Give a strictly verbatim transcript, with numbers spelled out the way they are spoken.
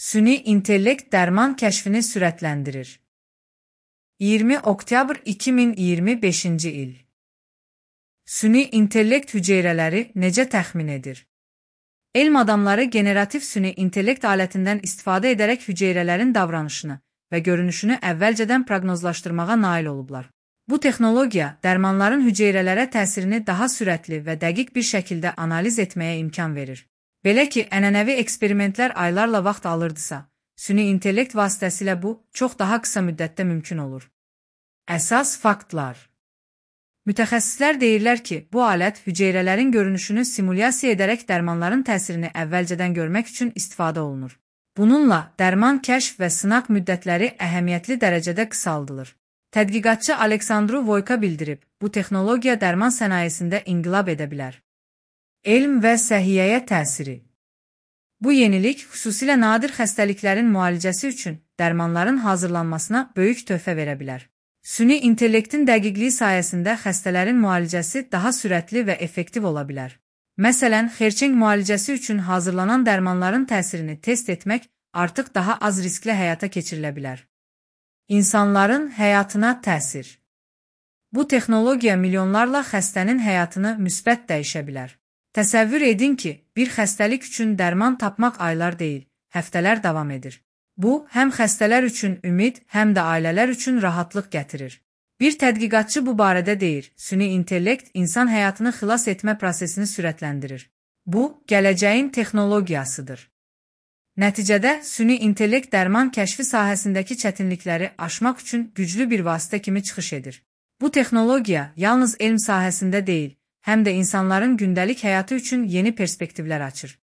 Süni intellekt dərman kəşfini sürətləndirir. iyirmi oktyabr iki min iyirmi beşinci il. Süni intellekt hüceyrələri necə təxmin edir? Elm adamları generativ süni intellekt alətindən istifadə edərək hüceyrələrin davranışını və görünüşünü əvvəlcədən proqnozlaşdırmağa nail olublar. Bu texnologiya dərmanların hüceyrələrə təsirini daha sürətli və dəqiq bir şəkildə analiz etməyə imkan verir. Belə ki, ənənəvi eksperimentlər aylarla vaxt alırdısa, süni intellekt vasitəsilə bu çox daha qısa müddətdə mümkün olur. Əsas faktlar. Mütəxəssislər deyirlər ki, bu alət hüceyrələrin görünüşünü simulyasiya edərək dərmanların təsirini əvvəlcədən görmək üçün istifadə olunur. Bununla dərman kəşf və sınaq müddətləri əhəmiyyətli dərəcədə qısaldılır. Tədqiqatçı Aleksandru Voyka bildirib, bu texnologiya dərman sənayesində inqilab edə bilər. Elm və səhiyyəyə təsiri. Bu yenilik xüsusilə nadir xəstəliklərin müalicəsi üçün dərmanların hazırlanmasına böyük töhfə verə bilər. Süni intellektin dəqiqliyi sayəsində xəstələrin müalicəsi daha sürətli və effektiv ola bilər. Məsələn, xerçeng müalicəsi üçün hazırlanan dərmanların təsirini test etmək artıq daha az risklə həyata keçirilə bilər. İnsanların həyatına təsir. Bu texnologiya milyonlarla xəstənin həyatını müsbət dəyişə bilər. Təsəvvür edin ki, bir xəstəlik üçün dərman tapmaq aylar deyil, həftələr davam edir. Bu, həm xəstələr üçün ümid, həm də ailələr üçün rahatlıq gətirir. Bir tədqiqatçı bu barədə deyir, süni intellekt insan həyatını xilas etmə prosesini sürətləndirir. Bu, gələcəyin texnologiyasıdır. Nəticədə, süni intellekt dərman kəşfi sahəsindəki çətinlikləri aşmaq üçün güclü bir vasitə kimi çıxış edir. Bu texnologiya yalnız elm sahəsində deyil, həm də insanların gündəlik həyatı üçün yeni perspektivlər açır.